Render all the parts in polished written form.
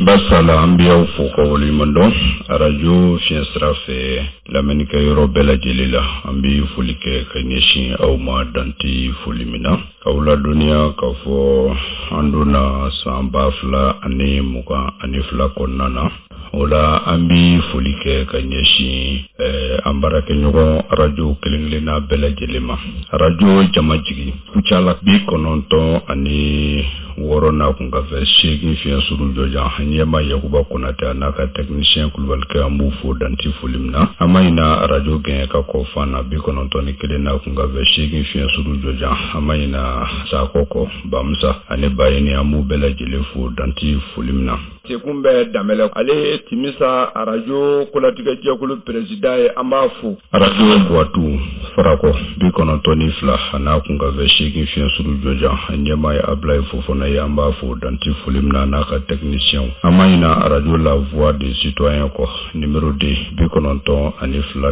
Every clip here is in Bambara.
Basala, an bɛ aw fo ka waleɲuman dɔn arajo fiɲɛ sira fɛ lamɛnnikɛ yɔrɔ bɛɛ lajɛlen la. An bɛ foli kɛ ka ɲɛsin aw ma danti foli min na, k'aw ladɔnniya k'a fɔ an donna san 2022 kɔnɔna na. O la, an bɛ foli kɛ ka ɲɛsin an baarakɛɲɔgɔn arajo kelen-kelenna bɛɛ lajɛlen ma. Arajo Jamajigi Kucala, 96 n'a kun ka fɛ 8 fiɲɛ suru jɔjan, ɲɛma Yakuba Konatɛ a n'a ka technicien Kulubalikɛ, an b'u fo danti foli min na. An ma ɲina arajo gɛn ka kɔ fan na, 91 n'a kun ka fɛ 8 fiɲɛ suru jɔjan. An ma ɲina Sakɔ kɔ, Bamusa ani Bayini, an b'u bɛɛ lajɛlen fo danti foli min na. Sekun bɛ Danbɛlɛ, ale ye Timisa arajo kolatigɛjɛkulu président ye, an b'a fo. Arajo Buwatu Farakɔ, 92 a n'a kun ka fɛ 8 fiɲɛ suru jɔjan, ɲɛmaa ye Abulayi Fofana ye, an b'a fo danti foli min na n'a ka technicien. An ma ɲina arajo La Voix des Citoyens kɔ, numéro 2, 92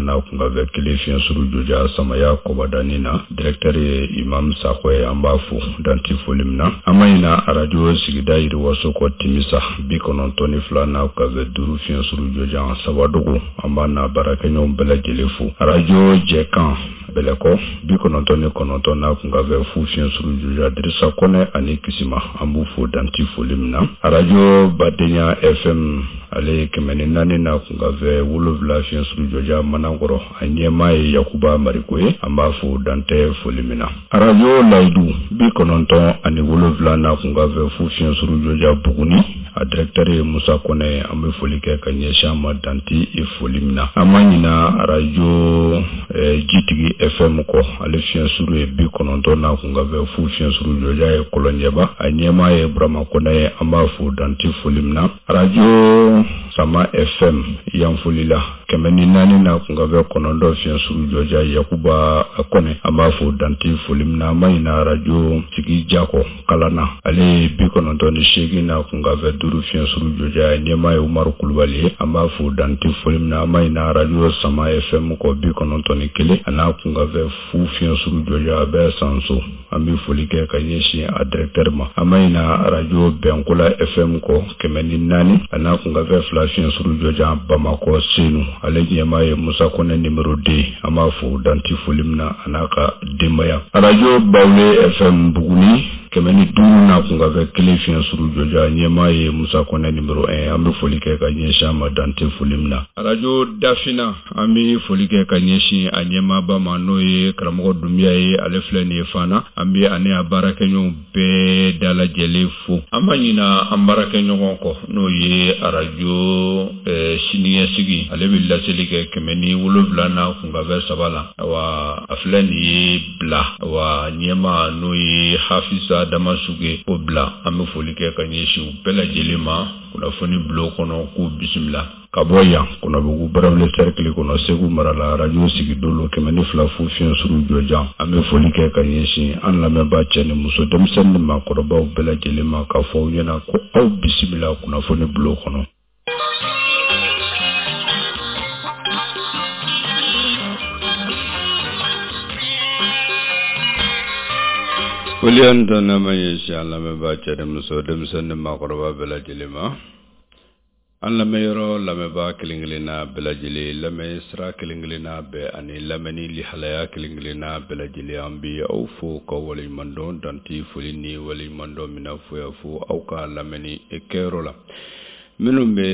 n'a kun ka fɛ 1 fiɲɛ suru jɔjan, Samaya Kɔbadani na, directeur ye Imam Sakɔ ye, an b'a fo danti foli min na. An ma ɲina arajo sigida yiriwaso kɔ, Timisa, 92 n'a kun ka fɛ 5 fiɲɛ suru jɔjan, Sabadogo, an b'a n'a baarakɛɲɔgɔn bɛɛ lajɛlen fo. Arajo Jɛkan Bɛlɛkɔ, 99 n'a kun ka fɛ 0 fiɲɛ suru jɔjan, Dirisa Kɔnɛ ani Kisima, an b'u fo danti foli min na. Arajo Badenya FM, ale ye 104 n'a kun ka fɛ 7 fiɲɛ suru jɔjan, Manankɔrɔ, a ɲɛmaa ye Yakuba Mariko ye, an b'a fo dantɛ foli min na. Arajo Layidu, 97 n'a kun ka fɛ 0 fiɲɛ suru jɔjan, Buguni, a directeur ye Musa Kɔnɛ ye, an bɛ foli kɛ ka ɲɛsin a ma danti foli min na. An ma ɲina arajo Jitigi FM kɔ, ale fiɲɛ suru ye 90 n'a kun ka fɛ 0 fiɲɛ suru jɔjan ye Kɔlɔnjɛba, a ɲɛmaa ye Burama Kɔnɛ ye, an b'a fo danti foli min na. Arajo Sama FM Yanfolila, 104 n'a kun ka fɛ 9 fiɲɛ suru jɔjan, Yakuba Kɔnɛ, an b'a fo danti foli min na. An ma ɲina arajo Sigi Jakɔ Kalana, ale ye 98 n'a kun ka fɛ 5 fiɲɛ suru jɔjan, ɲɛmaa ye Umaru Kulubali ye, an b'a fo danti foli min na. An ma ɲina arajo Sama FM kɔ, 91 a n'a kun ka fɛ 0 fiɲɛ suru jɔjan, a bɛ Sanso, an bɛ foli kɛ ka ɲɛsin a directeur ma. An ma ɲina arajo Bɛnkola FM kɔ, 104 a n'a kun ka fɛ 2 fiɲɛ suru jɔjan, Bamakɔ Senu, ale ɲɛmaa ye Musa Kɔnɛ numéro 2, an b'a fo danti foli min na a n'a ka denbaya. Arajo Bawule FM Buguni, 105 n'a kun ka fɛ 1 fiɲɛ suru jɔjan, ɲɛmaa ye Musa Kɔnɛ numéro 1, an bɛ foli kɛ ka ɲɛsin a ma dante foli min na. Arajo Dafina, an bɛ foli kɛ ka ɲɛsin a ɲɛmaaba ma, n'o ye karamɔgɔ Dunbiya ye, ale filɛ nin ye Fana, an bɛ ani a baarakɛɲɔgɔnw bɛɛ dalajɛlen fo. An ma ɲina an baarakɛɲɔgɔn kɔ, n'o ye arajo siniɲɛsigi, ale bɛ laseli kɛ 107 n'a kun ka fɛ 3 la. Awa, a filɛ nin ye Bila, awa ɲɛmaa n'o ye Hafisa Damasuge o Bila, an bɛ foli kɛ ka ɲɛsin u bɛɛ lajɛlen ma kunnafoni bulon kɔnɔ, k'u bisimila. Ka bɔ yan Kɔnɔbugu Barawuli cercle kɔnɔ, Segu mara la, arajo Sigidolo 102 0 fiɲɛ suru jɔjan, an bɛ foli kɛ ka ɲɛsin an lamɛnbaa cɛ ni muso, denmisɛnnin ni maakɔrɔbaw bɛɛ lajɛlen ma, k'a fɔ aw ɲɛna ko aw bisimila kunnafoni bulon kɔnɔ. Foli ani tanuni ma ɲɛsin an lamɛnbaa cɛ ni muso, denmisɛnnin ni maakɔrɔba bɛɛ lajɛlen ma. An lamɛnyɔrɔ lamɛnbaa kelen-kelenna bɛɛ lajɛlen, lamɛn sira kelen-kelenna bɛɛ ani lamɛnni lihalaya kelen-kelenna bɛɛ lajɛlen, an bɛ aw fo ka waleɲuman dɔn danti foli ni waleɲuman dɔn min na fo yan fo aw ka lamɛnni kɛyɔrɔ la. Minnu bɛ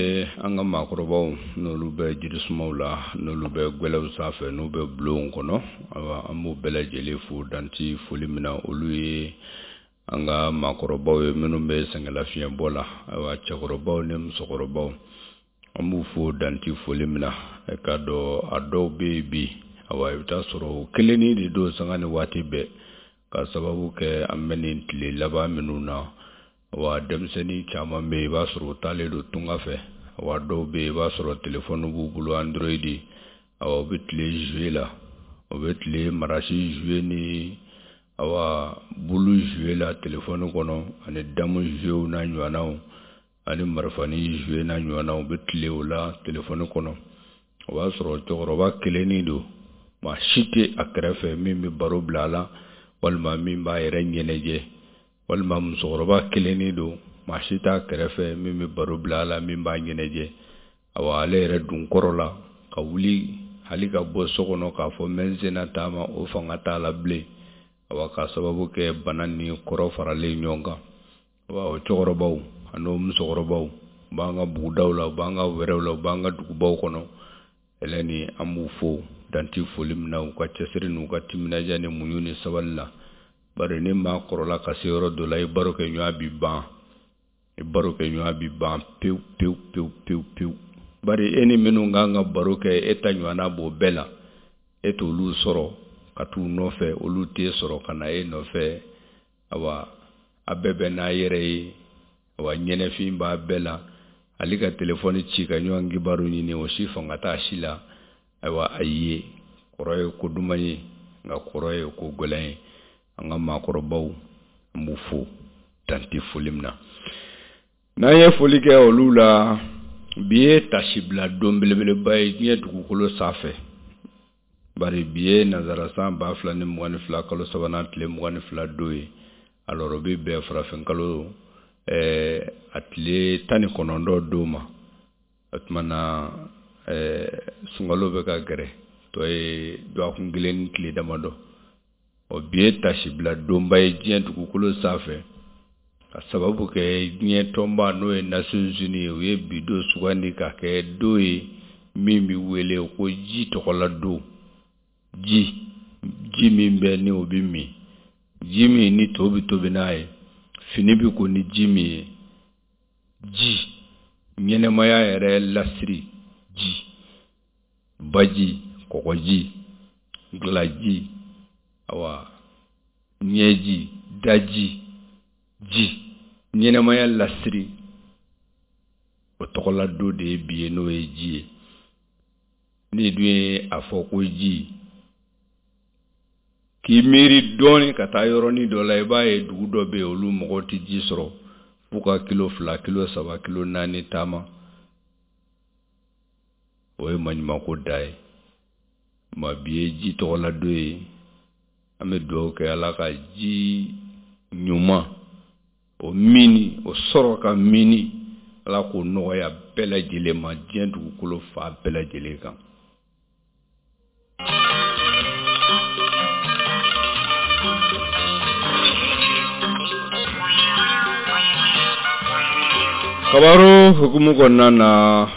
an ka maakɔrɔbaw, n'olu bɛ jirisumaw la, n'olu bɛ gwɛlɛw sanfɛ, n'u bɛ bulonw kɔnɔ, awa an b'u bɛɛ lajɛlen fo danti foli min na. Olu ye an ka maakɔrɔbaw ye minnu bɛ sɛgɛnlafiɲɛbɔ la, ayiwa cɛkɔrɔbaw ni musokɔrɔbaw, an b'u fo danti foli min na. E k'a dɔn a dɔw bɛ yen bi, awa i bɛ taa sɔrɔ o kelennin de don sanga ni waati bɛɛ, ka sababu kɛ an bɛ nin tile laban minnu na. Wa denmisɛnnin caman bɛ yen, i b'a sɔrɔ u taalen don tunga fɛ. Wa dɔw bɛ yen, i b'a sɔrɔ telefɔni b'u bolo, Android, awa u bɛ tile jouer la, u bɛ tile marasi jouer ni awa bulu jouer la telefɔni kɔnɔ, ani damu jouer n'a ɲɔgɔnnaw, ani marifani jouer n'a ɲɔgɔnnaw, u bɛ tile o la telefɔni kɔnɔ. O b'a sɔrɔ cɛkɔrɔba kelennin don, maa si tɛ a kɛrɛfɛ min bɛ baro bila a la, walima min b'a yɛrɛ ɲɛnajɛ, walima musokɔrɔba kelennin don. Maa si t'a kɛrɛfɛ min bɛ baro bila a la, min b'a ɲɛnajɛ. Awa, ale yɛrɛ dun kɔrɔ la ka wuli hali ka bɔ so kɔnɔ k'a fɔ n bɛ n senna taama, o fanga t'a la bilen. Awa, k'a sababu kɛ bana ni kɔrɔ faralen ɲɔgɔn kan. Awa, o cɛkɔrɔbaw ani o musokɔrɔbaw u b'an ka bugudaw la, u b'an ka wɛrɛw la, u b'an ka dugubaw kɔnɔ. Ɛlɛni, an b'u fo danti foli min na, u ka cɛsiri n'u ka timinadiya ni muɲu ni sabali la. Bari ni maa kɔrɔla ka se yɔrɔ dɔ la, i baro kɛ ɲɔgɔn bi ban, i baro kɛ ɲɔgɔn bi ban pewu pewu pewu pewu pewu. Bari e ni minnu kan ka baro kɛ, e ta ɲɔgɔnna b'o bɛɛ la, e t'olu sɔrɔ ka t'u nɔfɛ, olu t'e sɔrɔ ka na e nɔfɛ. Awa, a bɛɛ bɛ n'a yɛrɛ ye. Awa, ɲɛnɛfin b'a bɛɛ la. Hali ka telefɔni ci ka ɲɔgɔn kibaru ɲini, o si fanga t'a si la. Ayiwa, a ye kɔrɔ ye ko duman ye, nka kɔrɔ ye ko gɛlɛn ye. An ka maakɔrɔbaw, an b'u fo dante foli min na. N'an ye foli kɛ olu la, bi ye tasibila don belebeleba ye diɲɛ dugukolo sanfɛ. Bari bi ye nanzara san 2022 kalo sabanan tile 22 don ye. Alors, o bɛ bɛn farafin kalo a tile 19 don ma. O tuma na sunkalo bɛ ka gɛrɛ, tɔ ye dɔgɔkun kelen ni tile damadɔ. Ɔ, bi ye tasibila donba ye diɲɛ dugukolo sanfɛ, ka sababu kɛ diɲɛ tɔnba, n'o ye Nations Unies ye, u ye bi don sugandi ka kɛ don ye min bɛ wele ko ji tɔgɔla don. Ji, ji min bɛ ni o bɛ min, ji min ni to bɛ tobi n'a ye, fini bɛ ko ni ji min ye, ji ɲɛnɛmaya yɛrɛ lasiri, ji, baji, kɔgɔji, gilaji, awa, ɲɛji, daji, ji ɲɛnɛmaya lasiri, o tɔgɔla don de ye bi ye, n'o ye ji ye. N'i dun ye a fɔ ko ji, k'i miiri dɔɔnin ka taa yɔrɔnin dɔ la, i b'a ye dugu dɔ bɛ yen, olu mɔgɔw tɛ ji sɔrɔ f'u ka kilo 2, kilo 3, kilo 4 taama. O ye maɲumanko da ye. Ma bi ye ji tɔgɔla don ye. An bɛ dugawu kɛ Ala ka ji ɲuman o mini, o sɔrɔ ka mini, Ala k'o nɔgɔya bɛɛ lajɛlen ma diɲɛ dugukolo fan bɛɛ lajɛlen kan. Kabaru hukumu kɔnɔna na,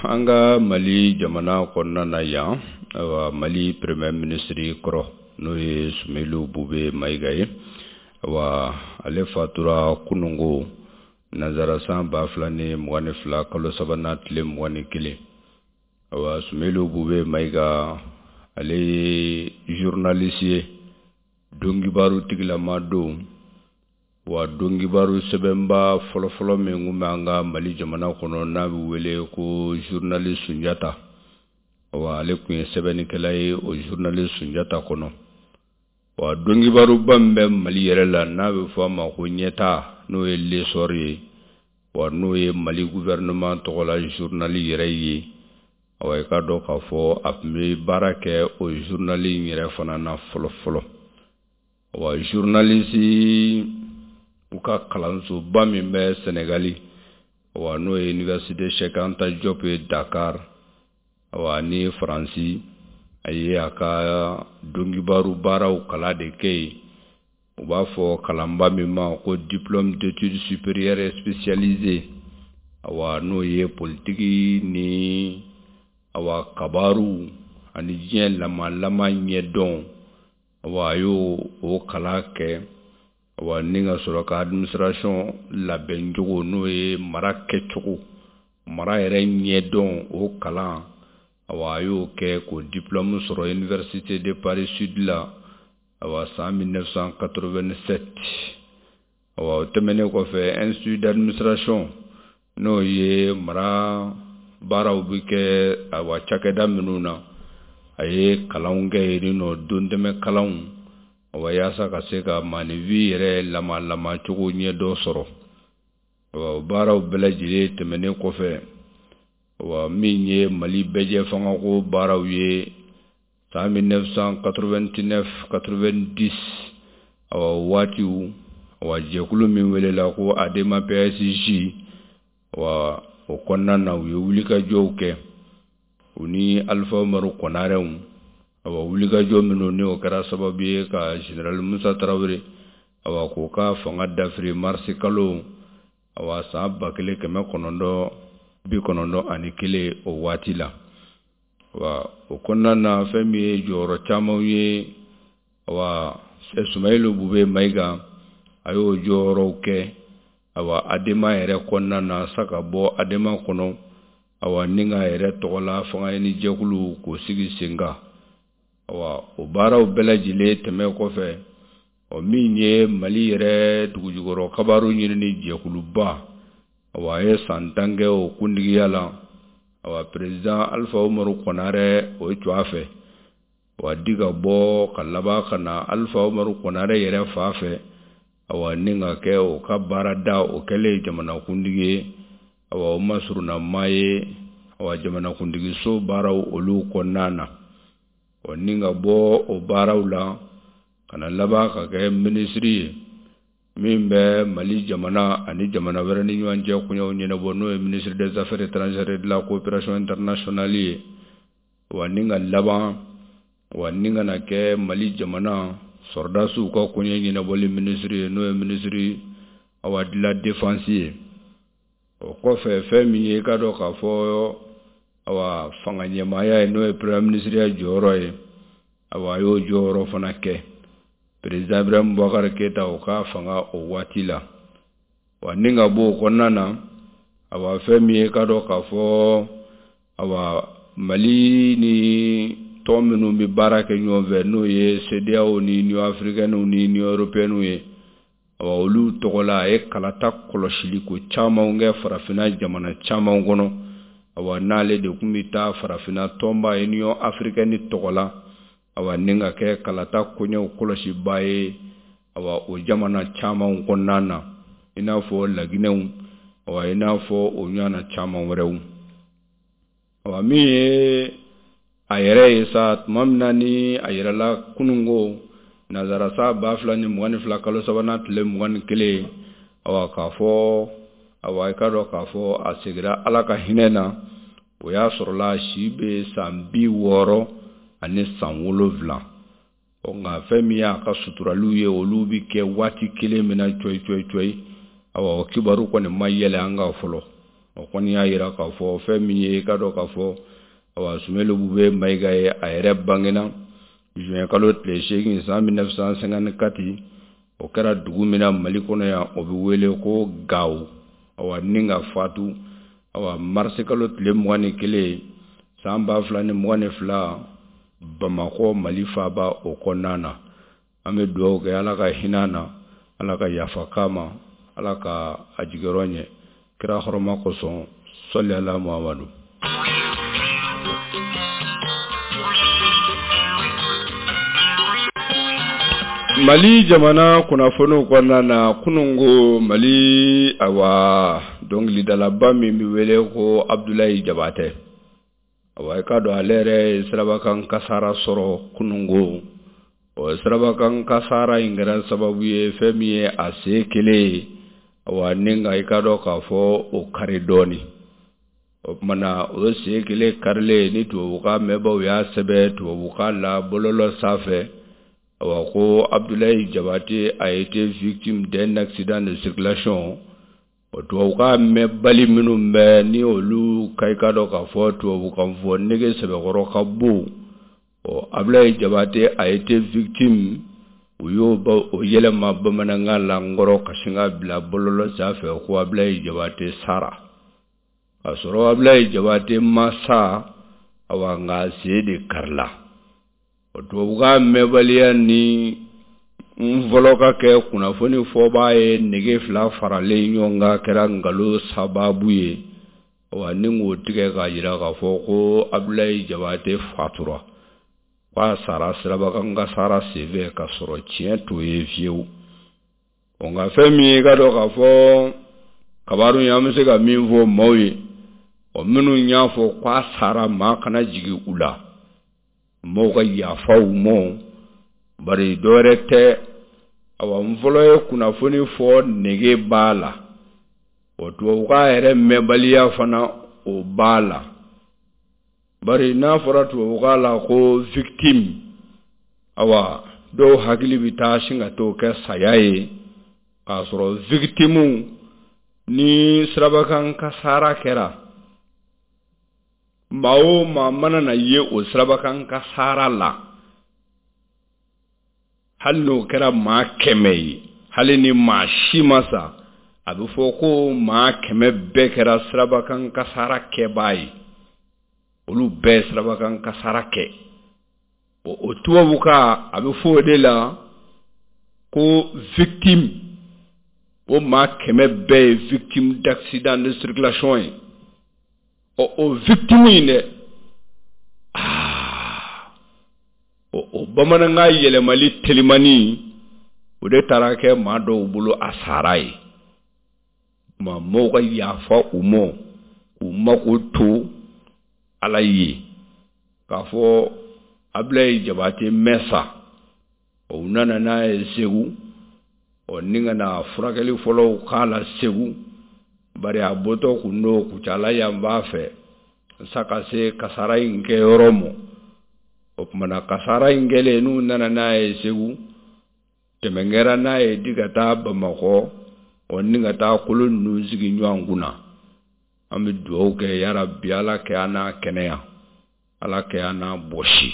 an ka Mali jamana kɔnɔna na yan, ayiwa, Mali premier ministre kɔrɔ, n'o ye Soumeylou Boubèye Maïga ye, ayiwa, ale fatura kunungo nanzara san 2022 kalo sabanan tile 21. Ayiwa, Soumeylou Boubèye Maïga, ale ye journaliste ye, donkibaru tigilama don. Wa donkibaru sɛbɛnba fɔlɔfɔlɔ min tun bɛ an ka Mali jamana kɔnɔ, n'a bɛ wele ko journal Sunjata, wa ale tun ye sɛbɛnnikɛla ye o journal Sunjata kɔnɔ. Wa donkibaruba min bɛ Mali yɛrɛ la, n'a bɛ fɔ a ma ko Ɲɛta, n'o ye L'Essor ye, wa n'o ye Mali gouvernement tɔgɔla journal yɛrɛ ye, awa, i k'a dɔn k'a fɔ a tun bɛ baara kɛ o journal in yɛrɛ fana na fɔlɔ fɔlɔ. Wa journaliste u ka kalansoba min bɛ Senegali, wa n'o ye Université Cheikh Anta Diop ye Dakar, wa ni Faransi, a ye a ka donkibaru baaraw kalan de kɛ yen. U b'a fɔ kalanba min ma ko diplôme d'études supérieures spécialisées, awa, n'o ye politiki ni, awa, kabaru ani diɲɛ lamalama ɲɛdɔn. Awa, a y'o o kalan kɛ. Awa, ni ka sɔrɔ ka administration labɛncogo, n'o ye mara kɛcogo, mara yɛrɛ ɲɛdɔn, o kalan, awa, a y'o kɛ k'o diplôme sɔrɔ Université de Paris Sud la, awa, san 1987. Awa, o tɛmɛnen kɔfɛ, institut d'administration, n'o ye mara baaraw bɛ kɛ, awa, cakɛda minnu na, a ye kalanw kɛ yen nɔ, dontɛmɛ kalanw, awa, yaasa ka se ka maaninfin yɛrɛ lamalama cogo ɲɛdɔn sɔrɔ. Awa, o baaraw bɛɛ lajɛlen tɛmɛnen kɔfɛ, awa, min ye Mali bɛɛjɛ fangako baaraw ye san 1989 90, awa, waatiw, Wa jɛkulu min welela ko Adema PSG, wa o kɔnɔna na u ye wulikajɔw kɛ u ni Alifa Umaru Kɔnarɛw. Awa, wulikajɔ minnu ni o kɛra sababu ye ka général Musa Tarawele, awa, k'o ka fanga dafiri marisi kalo, awa, san 1991 o waati la. Wa o kɔnɔna na, fɛn min ye jɔyɔrɔ camanw ye, awa, Sumayilu Bube Mayiga, a y'o jɔyɔrɔw kɛ, awa, Adema yɛrɛ kɔnɔna na sa, ka bɔ Adema kɔnɔ, awa, ni k'a yɛrɛ tɔgɔla fanga ɲini jɛkulu k'o sigi sen kan. Awa, o baaraw bɛɛ lajɛlen tɛmɛ kɔfɛ, ɔ min ye Mali yɛrɛ dugujukɔrɔ kabaru ɲinini jɛkuluba, awa, a ye san 10 kɛ o kuntigiya la, awa, président Alifa Umaru Kɔnarɛ o jɔ a fɛ, wa di ka bɔ ka laban ka na Alifa Umaru Kɔnarɛ yɛrɛ fa fɛ, awa, ni ka kɛ o ka baarada o kɛlen jamanakuntigi ye. Awa, o masurunna maa ye, awa, jamanakuntigiso baaraw olu kɔnɔna na. Ɔ ni ka bɔ o baaraw la ka na laban ka kɛ minisiri ye min bɛ Mali jamana ani jamana wɛrɛ ni ɲɔgɔn cɛ koɲɛw ɲɛnabɔ, n'o ye ministre des Affaires étrangères et de la coopération internationale ye. Wa ni ka laban, wa ni ka na kɛ Mali jamana sɔrɔdasiw ka koɲɛ ɲɛnabɔli minisiri ye, n'o ye ministre, awa, de la Défense ye. O kɔfɛ, fɛn min ye i ka dɔn k'a fɔ, awa, fanga ɲɛmaaya ye, n'o ye premier ministre ya jɔyɔrɔ ye, awa, a y'o jɔyɔrɔ fana kɛ président Ibrahim Boubacar Keita o ka fanga o waati la. Wa ni ka bɔ o kɔnɔna na, awa, fɛn min ye ka dɔn k'a fɔ, awa, Mali ni tɔn minnu bɛ baara kɛ ɲɔgɔn fɛ, n'o ye CEDEAO ni Union africaine ni Union européenne ye, awa, olu tɔgɔ la a ye kalata kɔlɔsili ko caman kɛ farafinna jamana caman kɔnɔ. Awa, n'ale de tun bɛ taa farafinna tɔnba Union africaine tɔgɔ la, awa, ni ka kɛ kalata koɲɛw kɔlɔsibaa ye, awa, o jamana caman kɔnɔna na, i n'a fɔ Laginɛw, awa, i n'a fɔ o ɲɔgɔnna caman wɛrɛw. Awa, min ye a yɛrɛ ye sa, tuma min na ni a yɛrɛla kununko nanzara sa 2022 kalo sabanan tile 21, awa, k'a fɔ, awa, i ka dɔn k'a fɔ a seginna Ala ka hinɛ na, o y'a sɔrɔla si bɛ san 67. Ɔ nka fɛn min y'a ka suturaliw ye, olu bɛ kɛ waati kelen min na cɔyi cɔyi cɔyi, awa, o kibaru kɔni ma yɛlɛ an kan fɔlɔ. O kɔni y'a yira k'a fɔ fɛn min ye i ka dɔn k'a fɔ, awa, Sumayilu Bube Mayiga ye, a yɛrɛ bangena juin kalo tile 8 san 1954. O kɛra dugu min na Mali kɔnɔ yan, o bɛ wele ko Gawo. Awa, ni ka fatu, awa, marisi kalo tile 21 san 2022 Bamakɔ, Mali faaba o kɔnɔna na. An bɛ dugawu kɛ, Ala ka hinɛ na, Ala ka yafa k'a ma, Ala ka a jigiyɔrɔ ɲɛ kira hɔrɔma kosɔn. Sɔli ala Muhamadu. Mali jamana kunnafoniw kɔnɔna na, kununko Mali, awa, dɔnkilidalaba min bɛ wele ko Abudulayi Jabatɛ, awa, i ka dɔn ale yɛrɛ ye sirabakan kasara sɔrɔ kununko. O sirabakan kasara in kɛra sababu ye fɛn min ye a sen kelen ye, awa, ni nka i ka dɔn k'a fɔ o kari dɔɔnin. O tuma na, o sen kelen karilen ni tubabukan mɛnbaw y'a sɛbɛn tubabukan la bɔlɔlɔ sanfɛ, awa, ko Abdoulaye Diabaté a été victime d'un accident de circulation. O tubabukan mɛnbali minnu bɛ ni olu ka i ka dɔn k'a fɔ tubabukan fɔ nege sɛbɛkɔrɔ ka bon, ɔ Abdoulaye Diabaté a été victime, u y'o o yɛlɛma bamanankan la n kɔrɔ ka sin ka bila bɔlɔlɔ sanfɛ ko Abdoulaye Diabaté sara, k'a sɔrɔ Abdoulaye Diabaté ma sa, awa, nka sen de karila. O tubabukan mɛnbaliya ni n fɔlɔ ka kɛ kunnafoni fɔbaa ye nege fila faralen ɲɔgɔn kan kɛra nkalon sababu ye, wa ni k'o tigɛ k'a jira k'a fɔ ko Abdoulaye Diabaté fatura, k'a sara sirabakan kasara senfɛ, k'a sɔrɔ tiɲɛ t'o ye fiyewu. O nka fɛn min ye i ka dɔn k'a fɔ kabaru ye, an bɛ se ka min fɔ maaw ye, ɔ minnu y'a fɔ k'a sara, maa kana jigin u la, maaw ka yafa u ma, bari dɔwɛrɛ tɛ. Awa, n fɔlɔ ye kunnafoni fɔ, nege b'a la, o tubabukan yɛrɛ mɛnbaliya fana, o b'a la. Bari n'a fɔra tubabukan la ko victime, awa, dɔw hakili bɛ taa sin ka t'o kɛ saya ye, k'a sɔrɔ victime, ni sirabakan kasara kɛra, maa o maa mana na ye o sirabakan kasara la, hali n'o kɛra maa 100 ye, hali ni maa si ma sa, a bɛ fɔ ko maa 100 bɛɛ kɛra sirabakan kasara kɛbaa ye. Olu bɛɛ sirabakan kasara kɛ. O tubabukan, a bɛ fɔ o de la ko victime. O maa 100 bɛɛ ye victime d'accident de circulation ye. Ɔ, o victime in dɛ, aa, o bamanankan yɛlɛmali telimani, o de taara kɛ maa dɔw bolo a sara ye. Ma mɔgɔw ka yafa u ma, k'u mako to Ala ye, k'a fɔ Abilayi Jabate mɛn sa. O nana n'a ye Segu, ɔ, ni ka na furakɛli fɔlɔw k'a la Segu. Bari a bɔtɔ kun don Kucala yan b'a fɛ sa ka se kasara in kɛyɔrɔ ma. O tumana kasara in kɛlen, n'u nana n'a ye Segu, tɛmɛ kɛra n'a ye di ka taa Bamakɔ, ɔ, ni ka taa kolo ninnu sigi ɲɔgɔn kunna. An bɛ dugawu kɛ, yarabi, Ala kɛ an n'a kɛnɛya, Ala kɛ an n'a bɔsi.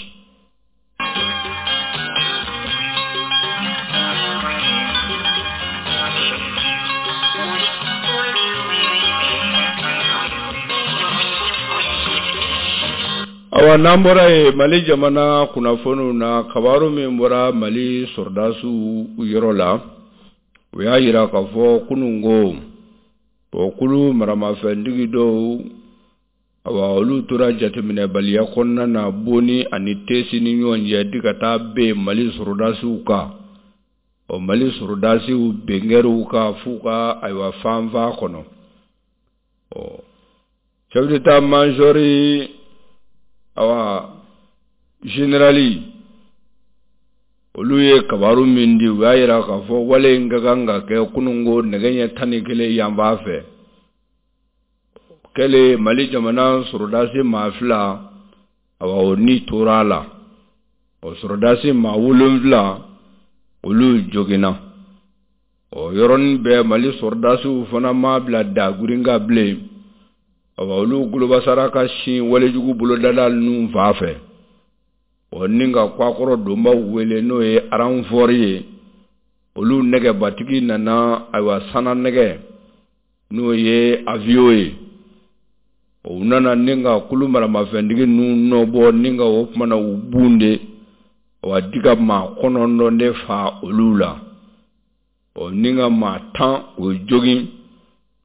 Awa, n'an bɔra yen, Mali jamana kunnafoniw na, kabaru min bɔra Mali sɔrɔdasiw yɔrɔ la, o y'a yira k'a fɔ kunun ko o kulu maramafɛntigi dɔw, awa, olu tora jateminɛbaliya kɔnɔna na Boni ani Tesi ni ɲɔgɔn cɛ, di ka taa ben Mali sɔrɔdasiw kan. Ɔ, Mali sɔrɔdasiw benkɛr'u kan f'u ka, ayiwa, fanfa kɔnɔ. Ɔ, chef d'état major, awa, général, olu ye kabaru min di, u y'a yira k'a fɔ wale in ka kan ka kɛ kununko nɛgɛ ɲɛ 11 yan b'a fɛ. Kɛlen, Mali jamana sɔrɔdasi maa fila, awa, o ni tora a la. O sɔrɔdasi maa wolonfila, olu joginna. O yɔrɔnin bɛɛ, Mali sɔrɔdasiw fana ma bila dagurin kan bilen. Awa, olu golobasara ka sin walejugu bolodala ninnu fan fɛ, ɔ, ni ka kwakɔrɔ donbaw wele, n'o ye renfort ye. Olu nɛgɛbatigi nana, ayiwa, sanna nɛgɛ, n'o ye avion ye. U nana ni ka kulu maramafɛntigi ninnu nɔbɔ, ni ka o kumana u bun de, wa di ka maa 9 de fa olu la, ɔ, ni ka maa 10 o jogin.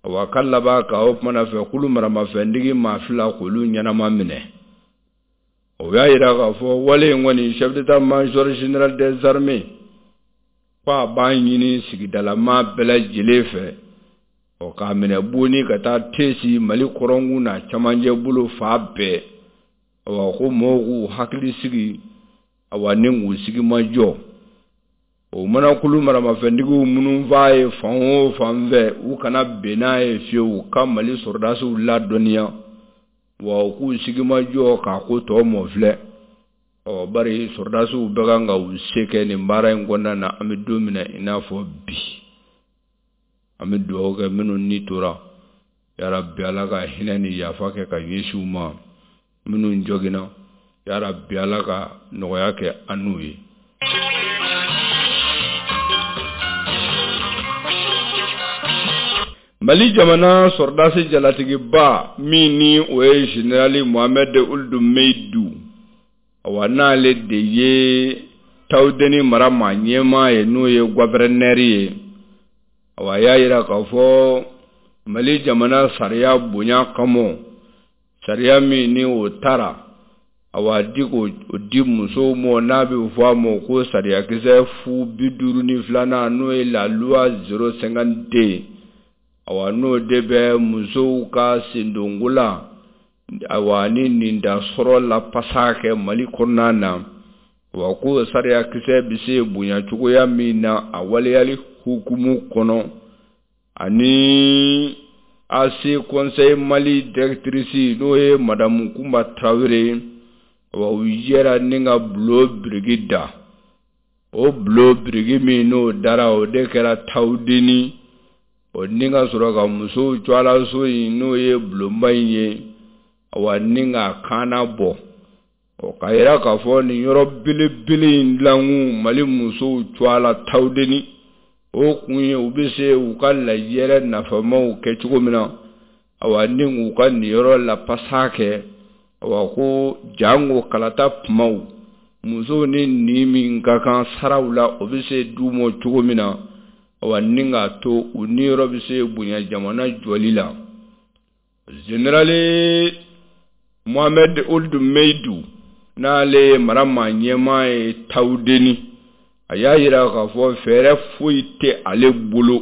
Wa ka laban ka o kumana fɛ kulu maramafɛntigi maa fila k'olu ɲɛnama minɛ. O y'a yira k'a fɔ wale in kɔni, chef d'état major général des armées ko a b'a ɲini sigidalama bɛɛ lajɛlen fɛ, ɔ, k'a minɛ Boni ka taa Tesi, Mali kɔrɔnkun n'a camancɛ bolo fa bɛɛ, awa, ko mɔgɔw k'u hakili sigi, awa, ni k'u sigi ma jɔ. O mana kulu maramafɛntigiw minnu f'a ye fan o fan fɛ, u kana bɛn n'a ye fiyewu, ka Mali sɔrɔdasiw ladɔnniya, wa u k'u sigi ma jɔ k'a ko tɔ mɔ filɛ. Ɔ, bari sɔrɔdasiw bɛ kan ka u se kɛ nin baara in kɔnɔna na. An bɛ don min na i n'a fɔ bi, an bɛ dugawu kɛ minnu ni tora, yarabi, Ala ka hinɛ ni yafa kɛ ka ɲɛsin u ma. Minnu joginna, yarabi, Ala ka nɔgɔya kɛ an n'u ye. Mali jamana sɔrɔdasi jalatigiba min ni o ye général Mohamed Ould Meidu, awa, n'ale de ye Tawudeni mara maa ɲɛmaa ye, n'o ye gouverneur ye, awa, a y'a yira k'a fɔ Mali jamana sariya bonya kama, sariya min ni o taara, awa, di k'o di musow ma, n'a bɛ fɔ a ma ko sariyakisɛ fu 52nan, n'o ye la loi 052, awa, n'o de bɛ musow ka sendonko la, awa, ni nin da sɔrɔ la pasa kɛ Mali kɔnɔna na. Wa ko sariyakisɛ bɛ se bonya cogoya min na a waleyali hukumu kɔnɔ ani AC Conseil Mali directrice n'o ye madamu Kunba Tarawele ye, wa u jɛra ni ka bulon biriki da. O bulon biriki min n'o dara, o de kɛra Tawudeni o ni ka sɔrɔ ka musow tɔgɔlaso in n'o ye bulonba in ye, wa ni k'a kaana bɔ. Ɔ k'a yira k'a fɔ nin yɔrɔ belebele in dilankun Mali musow tɔgɔ la Tawudeni, o kun ye u bɛ se u ka lajɛrɛ nafamaw kɛ cogo min na, awa ni k'u ka niyɔrɔ lapasa kɛ, awa ko janko kalata kumaw musow ni nin min ka kan saraw la, o bɛ se d'u ma cogo min na, awa ni k'a to u niyɔrɔ bɛ se bonya jamana jɔli la. Zenerali Mohamed Ould Meyidu n'ale ye mara maa ɲɛmaa ye Tawudeni, a y'a yira k'a fɔ fɛɛrɛ foyi tɛ ale bolo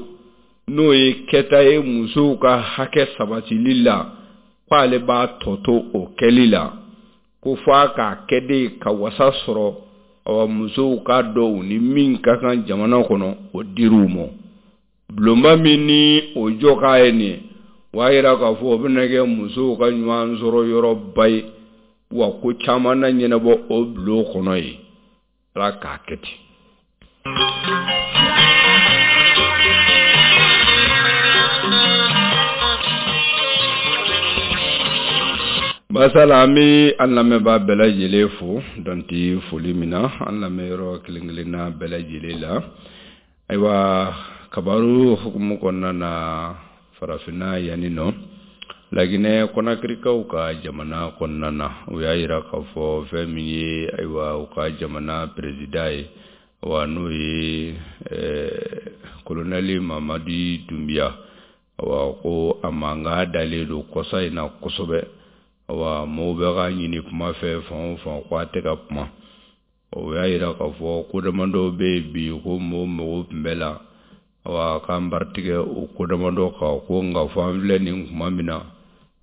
n'o ye kɛta ye musow ka hakɛ sabatili la, k'ale b'a tɔ to o kɛli la, ko fo a k'a kɛ de ka wasa sɔrɔ, awa musow k'a dɔn u ni min ka kan jamana kɔnɔ, o dir'u ma. Bulonba min ni o jɔ k'a ye nin ye, o y'a yira k'a fɔ o bɛna kɛ musow ka ɲɔgɔn sɔrɔ yɔrɔba ye, wa ko caman na ɲɛnabɔ o bulon kɔnɔ yen. Ala k'a kɛ ten. Masala, an bɛ an lamɛnbaa bɛɛ lajɛlen fo dan tɛ foli min na, an lamɛnyɔrɔ kelen kelenna bɛɛ lajɛlen la. Ayiwa, kabaru hukumu kɔnɔna na, farafinna yanni nɔ, laginɛ kɔnakirikaw ka jamana kɔnɔna na, u y'a yira k'a fɔ fɛn min ye, ayiwa, u ka jamana perezida ye, wa n'o ye kolonɛli mamadi dunbiya, awa ko a mankan dalen don kɔsa in na kosɛbɛ. Awa mɔgɔw bɛ k'a ɲini kuma fɛ fan o fan, ko a tɛ ka kuma. O y'a yira k'a fɔ ko damadɔw bɛ yen bi ko mɔgɔw mago tun bɛ la, awa k'an baritigɛ o ko damadɔ kan, ko nka fo an filɛ nin kuma min na,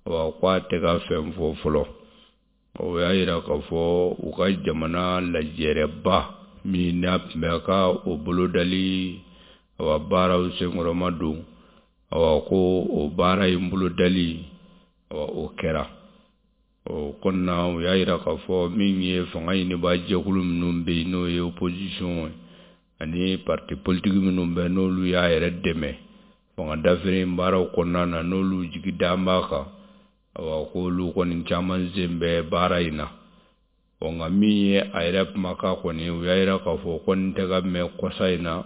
awa ko a tɛ ka fɛn fɔ fɔlɔ. O y'a yira k'a fɔ u ka jamana lajɛrɛba min n'a tun bɛ ka o bolodali, awa baaraw senkɔrɔma don, awa ko o baara in bolodali, awa o kɛra. O kɔnɔna, u y'a yira k'a fɔ min ye fanga ɲinibaa jɛkulu minnu bɛ yen, n'o ye opposition ye, ani parti politique minnu bɛ, n'olu y'a yɛrɛ dɛmɛ fanga dafiri baaraw kɔnɔna na, n'olu jigi dan b'a kan, awa k'olu kɔni caman sen bɛ baara in na. Ɔ nka min ye a yɛrɛ kumakan kɔni, u y'a yira k'a fɔ kɔni tɛ ka mɛn kɔsa in na,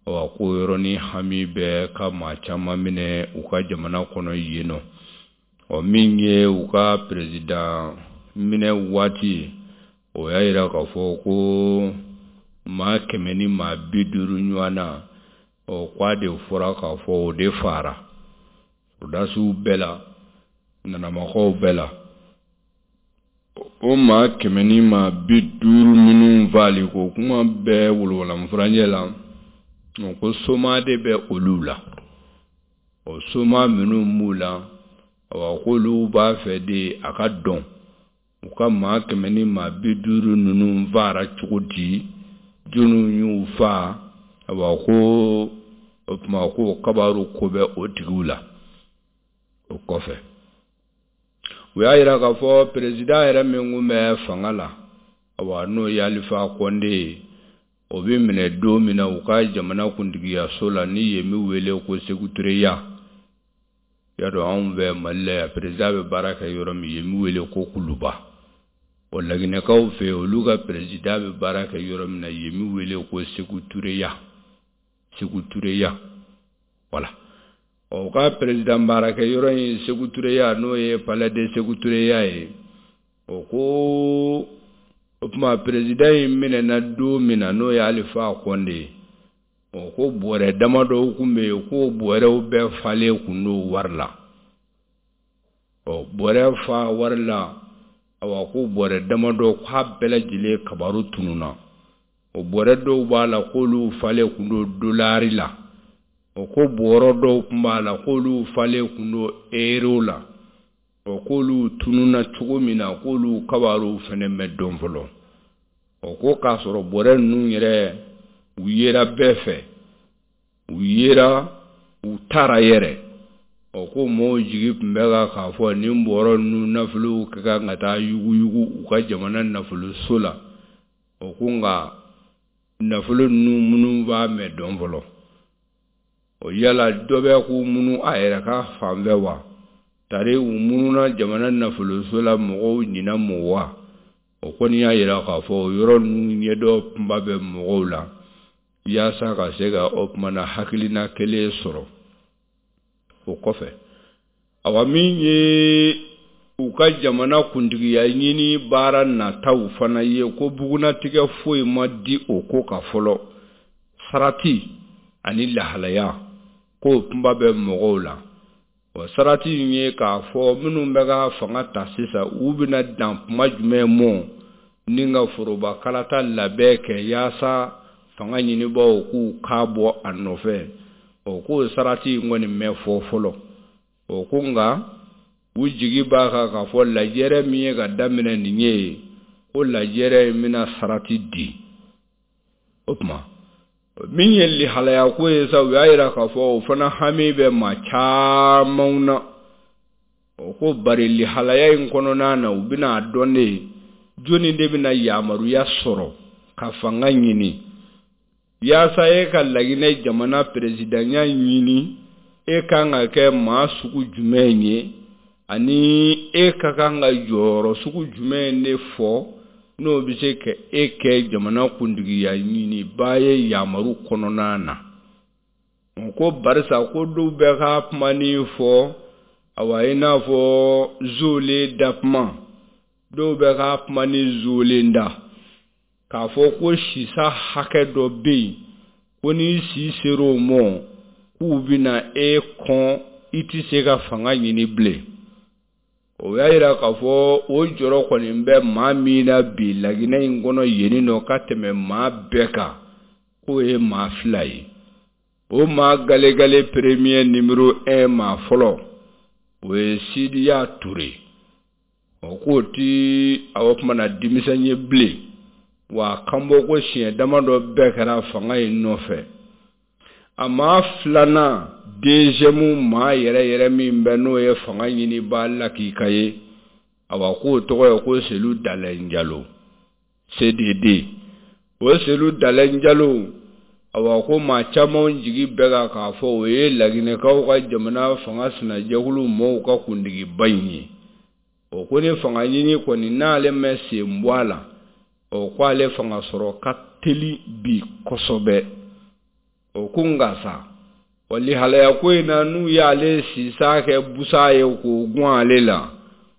awa ko yɔrɔnin hami bɛ ka maa caman minɛ u ka jamana kɔnɔ yen nɔ. Ɔ min ye u ka perezidan minɛ waati ye, o y'a yira k'a fɔ ko maa 150 ɲɔgɔn na, ɔ k'a de fɔra k'a fɔ o de faara sɔrɔdasiw bɛɛ la, nanamakaw bɛɛ la. O maa 150 minnu faali ko kuma bɛɛ wolonwula la, ko soma de bɛ olu la. O soma minnu b'u la, awa k'olu b'a fɛ de a ka dɔn u ka maa 150 ninnu faara cogo di, jɔnniw y'u faa, awa ko o tuma ko kabaru ko bɛ o tigiw la. O kɔfɛ, u y'a yira k'a fɔ perezidan yɛrɛ min kun bɛ fanga la, awa n'o ye Alifa Kɔnde ye, o bɛ minɛ don min na u ka jamana kuntigiyaso la, ni yen bɛ wele ko Sekutureya. Y'a dɔn anw fɛ Mali la yan, perezidan bɛ baara kɛ yɔrɔ min, yen bɛ wele ko Kuluba. O laginɛkaw fɛ, olu ka perezidan bɛ baara kɛ yɔrɔ min na, yen bɛ wele ko Sekutureya, Sekutureya, voilà. Ɔ u ka perezidan baarakɛ yɔrɔ in Sekutureya, n'o ye palais de Sekutureya ye, o ko o tuma perezidan in minɛna don min na, n'o ye Alifa Kɔnde ye, o ko bɔrɛ damadɔw kun bɛ yen, k'o bɔrɛw bɛɛ falen kun don wari la. Ɔ bɔrɛ fa wari la, awa ko bɔrɛ damadɔ k'a bɛɛ lajɛlen kabaru tununna. O bɔrɛ dɔw b'a la k'olu falen kun don dolari la, o ko bɔrɔ dɔw kun b'a la k'olu falen kun don euro la. O k'olu tununna cogo min na, k'olu kabaru fɛnɛ ma dɔn fɔlɔ. O ko k'a sɔrɔ bɔrɛ ninnu yɛrɛ u yera bɛɛ fɛ, u yera u taara yɛrɛ. O ko mɔgɔw jigi tun bɛ kan k'a fɔ nin bɔrɔ ninnu nafolow ka kan ka taa yuguyugu u ka jamana nafoloso la. O ko nka nafolo ninnu minnu b'a mɛn dɔn fɔlɔ. O yala dɔ bɛ k'u munu a yɛrɛ ka fan fɛ wa? Tari u mununa jamana nafoloso la mɔgɔw ɲinɛ mɔ wa? O kɔni y'a jira k'a fɔ o yɔrɔ ninnu ɲɛdɔn kunba bɛ mɔgɔw la yaasa ka se ka o tuma na hakilina kelen sɔrɔ. O kɔfɛ, awa min ye u ka jamana kuntigiya ɲini baara nataw fana ye, ko bugunnatigɛ foyi ma di o ko kan fɔlɔ. Sarati ani lahalaya k'o kunba bɛ mɔgɔw la. O sarati in ye k'a fɔ minnu bɛ ka fanga ta sisan, u bɛna dan kuma jumɛn mɔ ni ka foroba kalata labɛn kɛ yaasa fanga ɲinibaaw k'u kan bɔ a nɔfɛ. O k'o sarati in kɔni mɛ fɔ fɔlɔ. O ko nka u jigi b'a kan k'a fɔ lajɛrɛ min ye ka daminɛ nin ye, ko lajɛrɛ in bɛna sarati di. O tuma min ye lihalaya ko ye sa, u y'a jira k'a fɔ o fana hami bɛ maa camanw na. O ko bari lihalaya in kɔnɔna na, u bɛna a dɔn de jɔnni de bɛna yamaruya sɔrɔ ka fanga ɲini yaasa e ka Laginɛ jamana peresidanya ɲini, e kan ka kɛ maa sugu jumɛn ye ani e ka kan ka jɔyɔrɔ sugu jumɛn de fɔ n'o bɛ se ka e kɛ jamana kuntigiya ɲinibaa ye yamaru kɔnɔna na. O ko barisa ko dɔw bɛ ka kuma ni fɔ, awa i n'a fɔ zolen da kuma, dɔw bɛ ka kuma ni zolen da k'a fɔ ko sisa hakɛ dɔ bɛ yen, ko n'i si ser'o mɔ k'u bɛna e kɔn, i tɛ se ka fanga ɲini bilen. O y'a jira k'a fɔ o jɔrɔ kɔni bɛ maa min na bi Laginɛ in kɔnɔ yen nɔ ka tɛmɛ maa bɛɛ kan, k'o ye maa fila ye. O maa galegale premier numéro 1 maa fɔlɔ, o ye Sidiya Ture. O k'o ti a tuma na denmisɛn ye bilen, wa kanbɔ ko siɲɛ damadɔ bɛɛ kɛra fanga in nɔfɛ. A maa filanan deuxième maa yɛrɛ yɛrɛ min bɛ n'o ye fanga ɲinibaa lakika ye, awa k'o tɔgɔ ye ko Selu Dalɛn Jalo, CDD. O Selu Dalɛn Jalo, awa ko maa caman jigi bɛ kan k'a fɔ o ye Laginɛkaw ka jamana fanga sinajɛkulu mɔɔw ka kuntigiba in ye. O ko ni fanga ɲini kɔni n'ale ma sen bɔ a la, o ko ale fanga sɔrɔ ka teli bi kosɛbɛ. O ko nka sa, wa lihalaya ko in na, n'u y'ale sisa kɛ busa ye k'o gun ale la,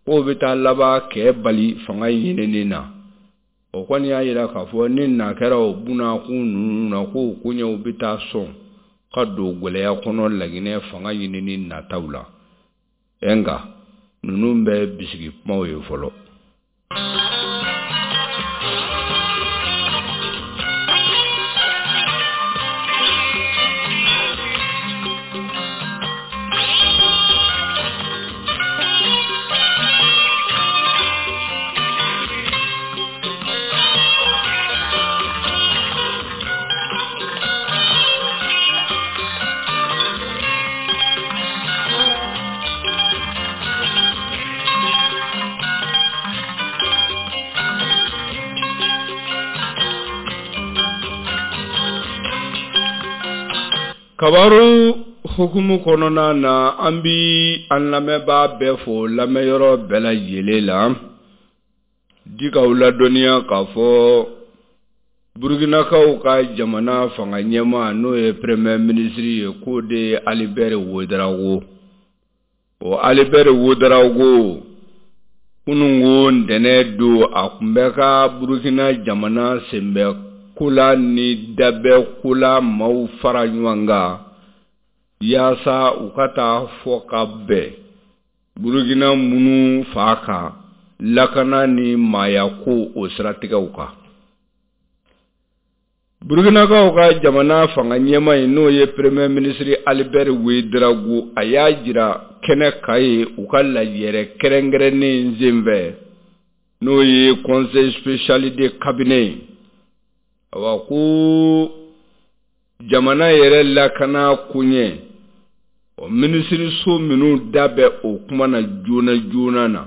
k'o bɛ taa laban kɛ bali fanga ɲinini na. O kɔni y'a jira k'a fɔ ni na kɛra o bunakun ninnu na, k'o koɲɛw bɛ taa sɔn ka don gɛlɛya kɔnɔ Laginɛ fanga ɲinini nataw la. Nka ninnu bɛ bisigi kumaw ye fɔlɔ. Kabaru hukumu kɔnɔna na, an bi an lamɛnbaa bɛɛ fo lamɛnyɔrɔ bɛɛ lajɛlen la, di k'aw ladɔnniya k'a fɔ Burkinakaw ka jamana fanga ɲɛmaa n'o ye premier ministre ye, k'o de ye Albert Ouedraogo. O Albert Ouedraogo, kununko ntɛnɛn don, a tun bɛ ka Burkina jamana senbɛ kola ni dabɛ kola maaw fara ɲɔgɔn kan yaasa u ka taa fɔ ka bɛn Burkina minnu fa kan lakana ni maaya ko o siratigɛw kan. Burkinakaw ka jamana fanga ɲɛmaa in n'o ye premier ministre Albert Ouedraogo, a y'a jira kɛnɛ kan ye u ka lajɛrɛ kɛrɛnkɛrɛnnen senfɛ n'o ye conseil spécial de cabinet ye. Awa ko jamana yɛrɛ lakana koɲɛ, o minisiriso minnu da bɛ o kuma na joona joona na,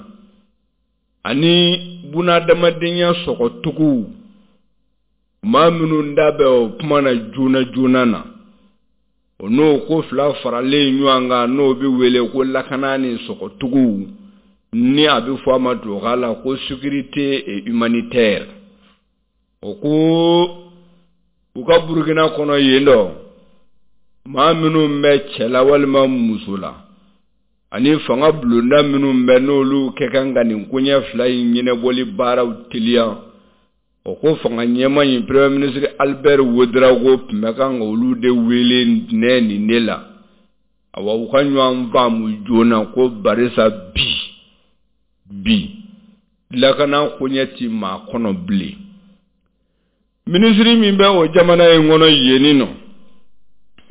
ani bunadamadenya sɔgɔtuguw, maa minnu da bɛ o kuma na joona joona na, o n'o ko fila faralen ɲɔgɔn kan, n'o bɛ wele ko lakana ni sɔgɔtuguw, ni a bɛ fɔ a ma tubabukan la ko sécurité et humanitaire. O ko u ka Burukina kɔnɔ yen dɔ, maa minnu bɛ cɛ la walima muso la, ani fanga bulonda minnu bɛ n'olu kɛ kan ka nin koɲɛ fila in ɲɛnabɔli baaraw teliya, o ko fanga ɲɛmaa in premier ministre Albert Ouedraogo tun bɛ kan ka olu de wele ntɛnɛn nin de la. Awa u ka ɲɔgɔn faamu joona ko barisa bi bi lakana koɲɛ ti maa kɔnɔ bilen. Minisiri min bɛ o jamana in kɔnɔ yenni nɔ,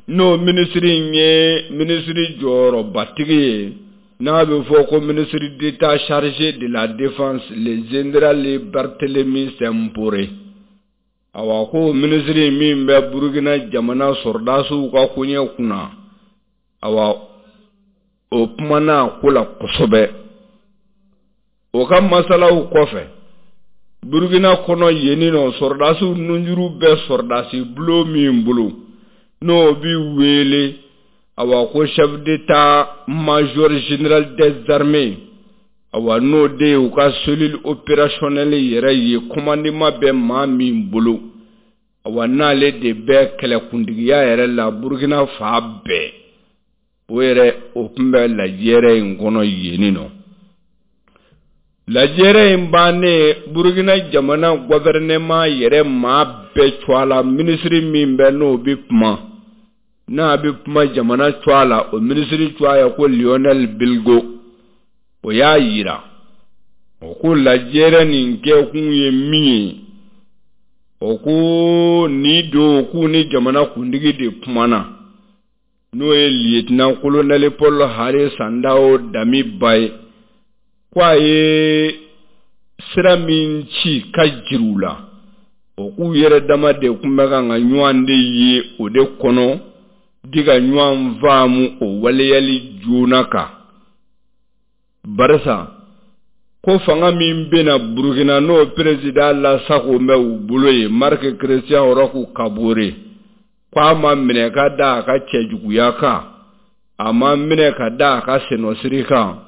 n'o minisiri in ye minisiri jɔyɔrɔbatigi ye, n'a bɛ fɔ ko ministre d'État chargé de la défense, le général Barthélemy Simpore. Awa ko minisiri min bɛ Burukina jamana sɔrɔdasiw ka koɲɛ kunna, awa o kumana a ko la kosɛbɛ. O ka masalaw kɔfɛ, Burukina kɔnɔ yenni nɔ, sɔrɔdasiw nunjuru bɛ sɔrɔdasi bulon min bolo, n'o bi wele awa ko chef d'état major général des armées, awa n'o de ye u ka cellule opérationnelle yɛrɛ ye, commandement bɛ maa min bolo, awa n'ale de bɛ kɛlɛkuntigiya yɛrɛ la Burukina fan bɛɛ, o yɛrɛ o tun bɛ lajɛrɛ in kɔnɔ yenni nɔ. Lajɛrɛ in bannen, Burukina jamana gouvernement yɛrɛ maa bɛɛ cogoya la, minisiri min bɛ n'o bɛ kuma, n'a bɛ kuma jamana cogoya la, o minisiri cogoya ye ko Lionel Bilgo, o y'a yira o ko lajɛrɛ nin kɛkun ye min ye, o ko nin don k'u ni jamana kuntigi de kumana, n'o ye lieutenant colonel Paul Henri Sandaogo Damiba ye, ko a ye sira min ci ka jiri u la, o k'u yɛrɛ dama de tun bɛ kan ka ɲɔgɔn de ye o de kɔnɔ, di ka ɲɔgɔn faamu o waleyali joona kan. Barisa ko fanga min bɛna Burukina, n'o président lasago bɛ u bolo ye, Marc Christian Roch Kabore, ko a ma minɛ ka da a ka cɛjuguya kan, a ma minɛ ka da a ka sennɔsiri kan,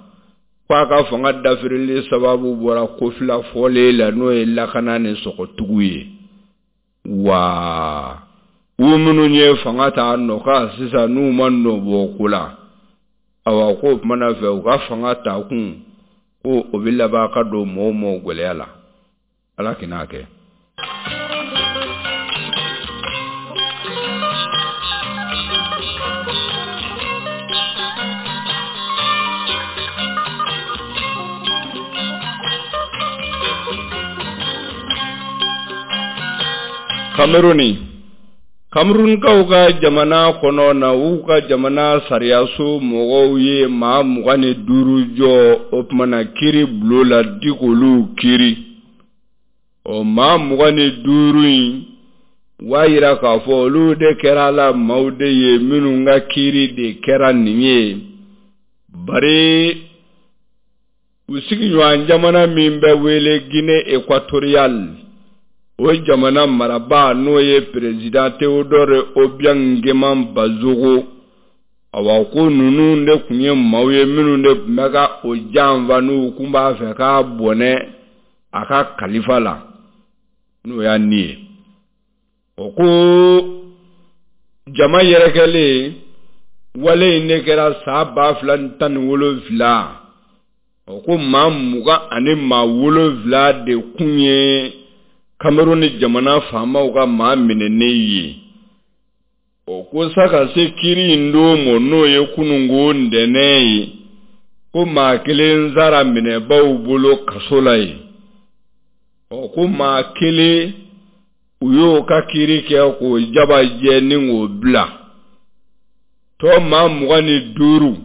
ko a ka fanga dafirili sababu bɔra ko fila fɔlen la, n'o ye lakana ni sɔgɔtugu ye. Wa u minnu ye fanga ta nɔ kan sisan, n'u ma nɔ bɔ ko la, awa k'o kumana fɛ u ka fanga ta kun, ko o bɛ laban ka don mɔgɔw mɔ gɛlɛya la. Ala k'i kɛ. Kameruni, Kamerunkaw ka jamana kɔnɔ na, u ka jamana sariyaso mɔgɔw ye maa 25 jɔ o tumana kiiri bulon la di k'olu kiiri. O maa 25 in, u b'a yira k'a fɔ olu de kɛra la maaw de ye minnu ka kiiri de kɛra nin ye, bari u sigiɲɔgɔn jamana min bɛ wele Guinée équatoriale, o jamana marabaa n'o ye président Théodore Obiang Nguema Mbasogo, awa ko ninnu de tun ye maaw ye minnu de tun bɛ ka o janfa, n'u tun b'a fɛ k'a bɔnɛ a ka kalifa la, n'o y'a ni ye. O ko jama yɛrɛkɛlen wale in de kɛra san 2017. O ko maa 27 de kun ye Cameroun ni jamana faamaw ka maa minɛnen ye. O ko sa ka se kiiri in don ma, n'o ye kununko ntɛnɛn ye, ko maa kelen sara minɛbaw bolo kaso la yen. O ko maa kelen, u y'o ka kiiri kɛ k'o jaba jɛ ni k'o bila. Tɔ maa 25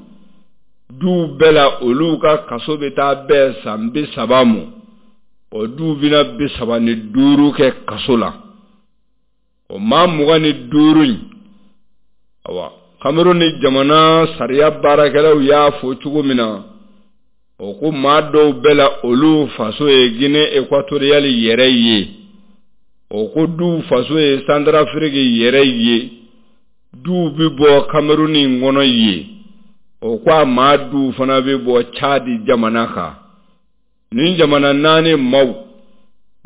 duw bɛɛ la, olu ka kaso bɛ taa bɛn san 30 ma. O duw bɛna 35 kɛ kaso la. O maa 25 in, awa, Cameroun ni jamana sariya baarakɛlaw y'a fɔ cogo min na, o ko maa dɔw bɛ la, olu faso ye Guinée équatoriale yɛrɛ ye, o ko duw faso ye Centrafrique yɛrɛ ye, duw bɛ bɔ Cameroun in kɔnɔ yen, o ko a maa duw fana bɛ bɔ Tchad jamana kan. Nin jamana naani maaw,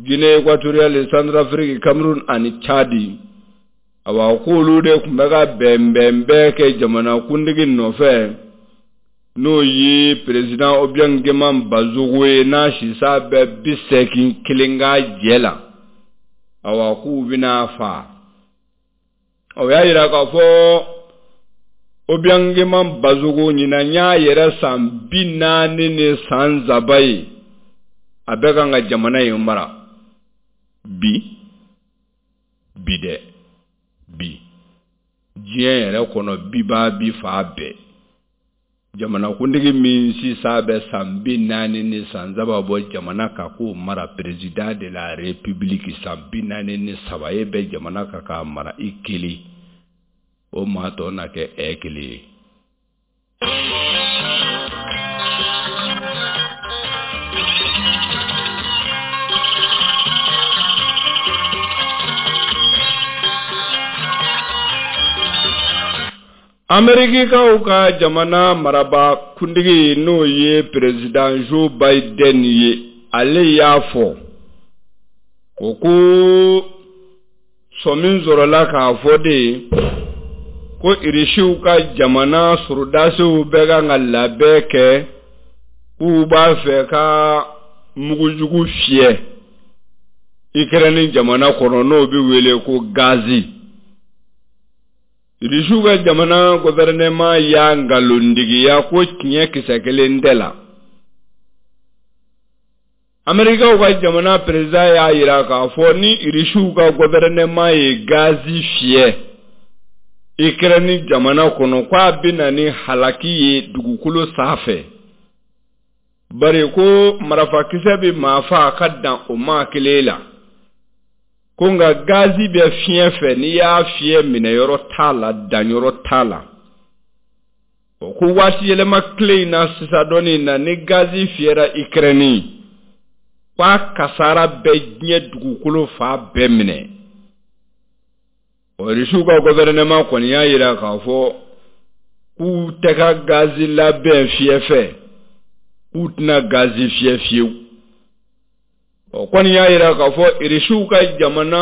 Guinée équatoriale, Centrafrique, Cameroun ani Tchad, awa, k'olu de tun bɛ ka bɛnbɛnbɛn kɛ jamanakuntigi nɔfɛ, n'o ye président Obiang Nguema Mbasogo ye, n'a sisa bɛ 81 ka jɛ la. Awa, k'u bɛna fa. O y'a yira k'a fɔ Obiang Nguema Mbasogo ɲinan y'a yɛrɛ san 43 ye, a bɛ kan ka jamana in mara bi bi dɛ. Bi diɲɛ yɛrɛ kɔnɔ, bibaa bi fa bɛɛ, jamanakuntigi min sisan bɛ san 43 bɔ jamana kan k'o mara, président de la république, san 43 e bɛ jamana kan k'a mara i kelen, o maa tɔ na kɛ ɛ kelen ye. Amerikikaw ka jamana maraba kuntigi, n'o ye président Joe Biden ye, ale y'a fɔ o ko sɔmi sɔrɔla k'a fɔ de ko Irisiw ka jamana sɔrɔdasiw bɛ kan ka labɛn kɛ k'u b'a fɛ ka mugujugu fiyɛ Ikɛrɛni jamana kɔnɔ, n'o bɛ wele ko gazi. Irisiw ka jamana gouvernement y'a nkalontigiya ko tiɲɛ kisɛ kelen tɛ la. Amerikaw ka jamana président y'a yira k'a fɔ ni Irisiw ka gouvernement ye gazi fiyɛ Ikɛrɛni jamana kɔnɔ, k'a bɛ na ni halaki ye dugukolo sanfɛ, bari ko marafakisɛ bɛ maa faa ka dan o maa kelen la, ko nka gazi bɛ fiɲɛ fɛ, n'i y'a fiyɛ minɛyɔrɔ t'a la, danyɔrɔ t'a la. O ko waati yɛlɛma tile in na sisan dɔɔnin na, ni gazi fiyɛra Ikɛrɛni, k'a kasara bɛ diɲɛ dugukolo fan bɛɛ minɛ. O Irisiw ka gouvernement kɔni y'a yira k'a fɔ k'u tɛ ka gazi labɛn fiyɛ fɛ, k'u tɛna gazi fiyɛ fiyewu. O kɔni y'a yira k'a fɔ Irisiw ka jamana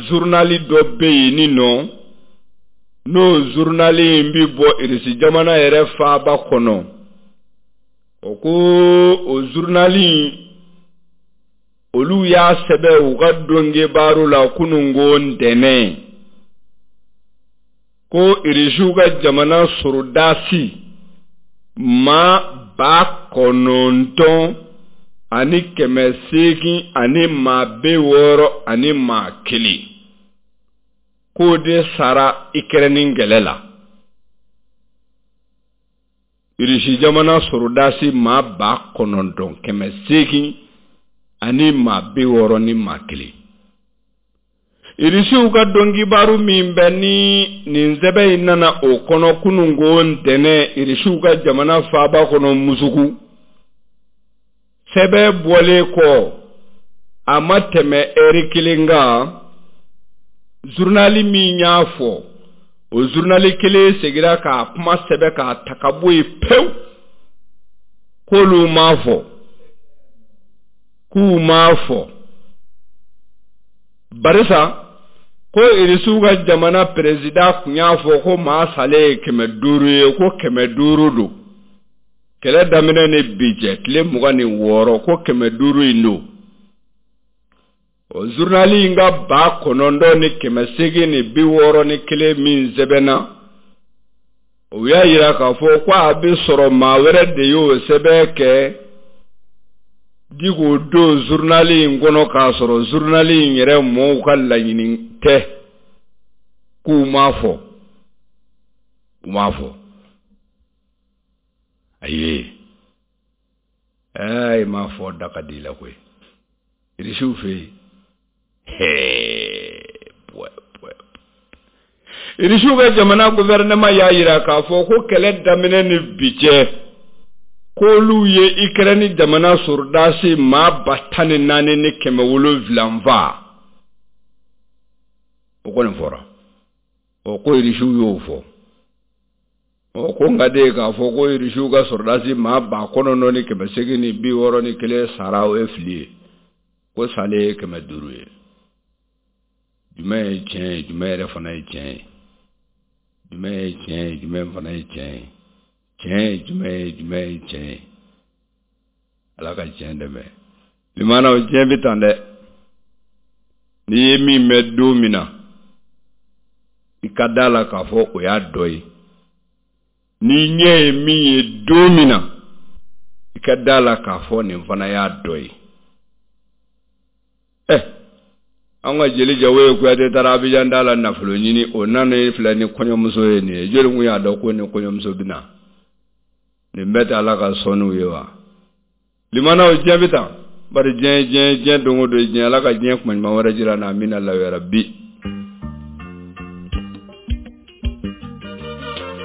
zurunali dɔ bɛ yen ni nɔ, n'o zurunali in bɛ bɔ Irisi jamana yɛrɛ faaba kɔnɔ. O ko o zurunali in, olu y'a sɛbɛn u ka donkibaru la kununko ntɛnɛn ko Irisiw ka jamana sorodasi maa 9861, k'o de sara Ikɛrɛni kɛlɛ la. Irisi jamana sorodasi maa 9861. Irisiw ka donkibaru min bɛ ni nin sɛbɛn in nana o kɔnɔ kununko ntɛnɛn Irisiw ka jamana faaba kɔnɔ Musuku, sɛbɛn bɔlen kɔ a ma tɛmɛ ɛri kelen kan, zurunali min y'a fɔ, o zurunali kelen segira k'a kuma sɛbɛn k'a ta ka bɔ yen pewu, k'olu m'a fɔ, k'u m'a fɔ, barisa ko Irisiw ka jamana président tun y'a fɔ ko maa salen ye 500 ye, ko 500 don kɛlɛ daminɛ ni bi cɛ tile 26, ko 500 in don. O zurunali in ka 9861 min sɛbɛnna, o y'a yira k'a fɔ ko a bɛ sɔrɔ maa wɛrɛ de y'o sɛbɛn kɛ di k'o don zurunali in kɔnɔ, k'a sɔrɔ zurunali in yɛrɛ mɔɔw ka laɲini tɛ, k'u m'a fɔ, u m'a fɔ. Ayi, ɛɛ, i m'a fɔ da ka di i la koyi Irisiw fɛ yen. Hɛɛ, bɔɛ bɔɛ. Irisiw ka jamana gouvernement y'a jira k'a fɔ ko kɛlɛ daminɛ ni bi cɛ, k'olu ye Ikɛrɛni jamana sɔrɔdasi maa 14,700 faa. O kɔni fɔra. Ɔ, ko irisiw y'o fɔ. Ɔ, ko nka de k'a fɔ ko irisiw ka sɔrɔdasi maa 9861 sara, o ye fili ye, ko salen ye 500 ye. Jumɛn ye tiɲɛ ye, jumɛn yɛrɛ fana ye tiɲɛ ye? Jumɛn ye tiɲɛ ye, jumɛn fana ye tiɲɛ ye? Tiɲɛ ye jumɛn ye, jumɛn ye tiɲɛ ye? Ala ka tiɲɛ dɛmɛ. Limanaw, diɲɛ bɛ tan dɛ. N'i ye min mɛn don min na, i ka da la k'a fɔ o y'a dɔ ye. N'i ɲɛ ye min ye don min na, i ka da la k'a fɔ nin fana y'a dɔ ye. Ɛ, an ka jeli Jawoyi Kuyate taara Abijan da la nafolo ɲini, o nana filɛ ni kɔɲɔmuso ye nin ye. Joli kun y'a dɔn ko ni kɔɲɔmuso bɛ na? Nin bɛɛ tɛ Ala ka sɔnniw ye wa? Limanaw, diɲɛ bɛ tan. Bari diɲɛ, diɲɛ, diɲɛ don o don, diɲɛ. Ala ka diɲɛ kuma ɲuman wɛrɛ jira na. Amina la bi.